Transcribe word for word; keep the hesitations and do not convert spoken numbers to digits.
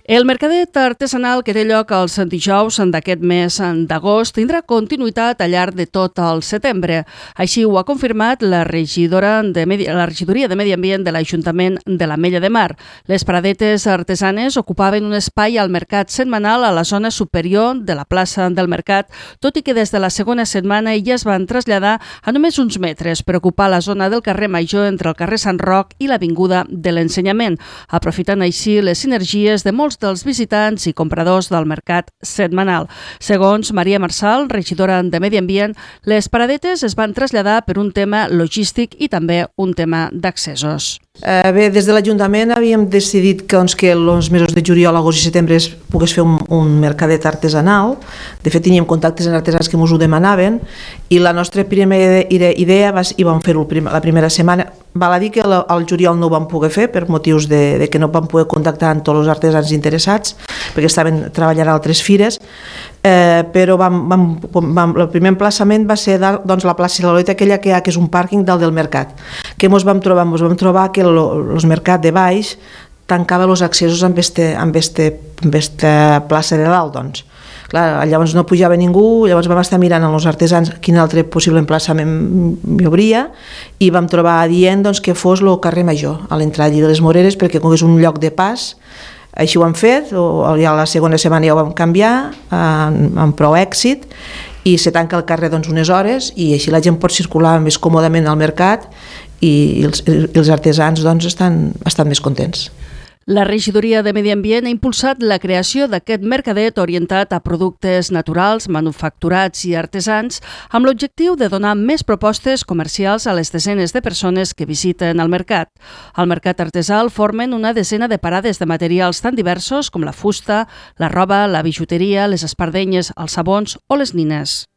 El mercadet artesanal que té lloc els dijous d'aquest mes d'agost tindrà continuïtat al llarg de tot el setembre. Així ho ha confirmat la regidora de Medi... la regidoria de Medi Ambient de l'Ajuntament de l'Ametlla de Mar. Les paradetes artesanes ocupaven un espai al mercat setmanal a la zona superior de la plaça del mercat, tot i que des de la segona setmana ja es van traslladar a només uns metres per ocupar la zona del carrer Major entre el carrer Sant Roc i l'Avinguda de l'Ensenyament, aprofitant així les sinergies de molts dels visitants i compradors del mercat setmanal. Segons Maria Marçal, regidora de Medi Ambient, les paradetes es van traslladar per un tema logístic i també un tema d'accessos. Eh, bé, des de l'Ajuntament havíem decidit que, doncs, que els mesos de juliol, agost i setembre es pogués fer un, un mercadet artesanal. De fet, teníem contactes amb artesans que ens ho demanaven i la nostra primera idea va, i vam fer-ho la primera setmana. Val a dir que al juliol no ho vam poder fer per motius de, de que no vam poder contactar amb tots els artesans interessats perquè estaven treballant a altres fires, eh, però vam, vam, vam, el primer emplaçament va ser doncs, la plaça de la Loreta, aquella que hi ha, que és un pàrquing dalt del mercat. Què ens vam trobar? Ens vam trobar que el mercat de baix tancava els accessos amb aquesta plaça de dalt, doncs. Clar, llavors no pujava ningú, llavors vam estar mirant als artesans quin altre possible emplaçament hi hauria i vam trobar adient doncs, que fos el carrer Major, a l'entrada de les Moreres, perquè com és un lloc de pas. Així ho hem fet, o ja la segona setmana ja ho vam canviar, amb, amb prou èxit, i se tanca el carrer doncs, unes hores i així la gent pot circular més còmodament al mercat i els, i els artesans doncs, estan, estan més contents. La regidoria de Medi Ambient ha impulsat la creació d'aquest mercadet orientat a productes naturals, manufacturats i artesans amb l'objectiu de donar més propostes comercials a les desenes de persones que visiten el mercat. Al mercat artesà formen una desena de parades de materials tan diversos com la fusta, la roba, la bijuteria, les espardenyes, els sabons o les nines.